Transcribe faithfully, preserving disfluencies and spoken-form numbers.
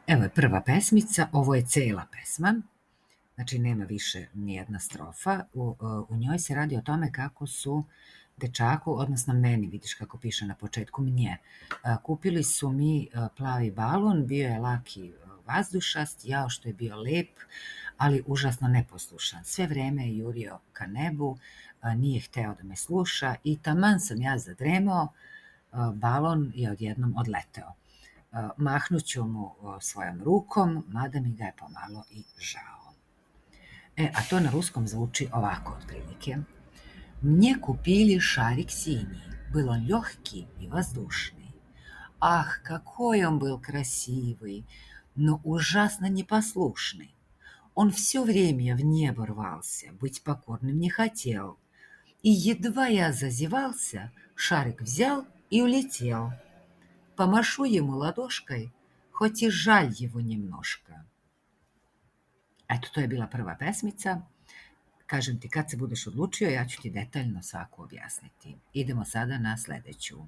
Evo je prva pesmica, ovo je cela pesma, znači nema više nijedna strofa. U, u njoj se radi o tome kako su dečaku, odnosno meni, vidiš kako piše na početku, mnje. Kupili su mi plavi balon, bio je laki vazdušast, jao što je bio lep, ali užasno neposlušan. Sve vreme je jurio ka nebu, nije hteo da me sluša i taman sam ja zadremao, balon je odjednom odleteo. Mahnuću mu svojom rukom, mada mi ga je pomalo i žao. E, a to na ruskom zvuči ovako otprilike. Мне купили шарик синий, был он легкий и воздушный. Ах, какой он был красивый, но ужасно непослушный. Он все время в небо рвался, быть покорным не хотел. И едва я зазевался, шарик взял и улетел. Помашу ему ладошкой, хоть и жаль его немножко. Eto, to je bila prva pesmica. Kažem ti, kad se budeš odlučio, ja ću ti detaljno svaku objasniti. Idemo sada na sledeću.